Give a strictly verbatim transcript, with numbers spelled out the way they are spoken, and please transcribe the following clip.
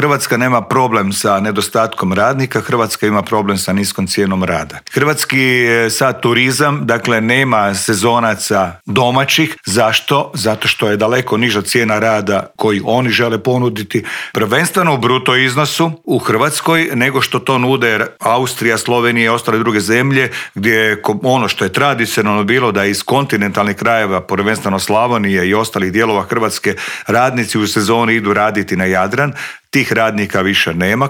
Hrvatska nema problem sa nedostatkom radnika, Hrvatska ima problem sa niskom cijenom rada. Hrvatski sad turizam, dakle, nema sezonaca domaćih. Zašto? Zato što je daleko niža cijena rada koji oni žele ponuditi, prvenstveno u bruto iznosu u Hrvatskoj, nego što to nude Austrija, Slovenija i ostale druge zemlje, gdje je ono što je tradicionalno bilo da iz kontinentalnih krajeva, prvenstveno Slavonije i ostalih dijelova Hrvatske, radnici u sezoni idu raditi na Jadran. Tih radnika više nema,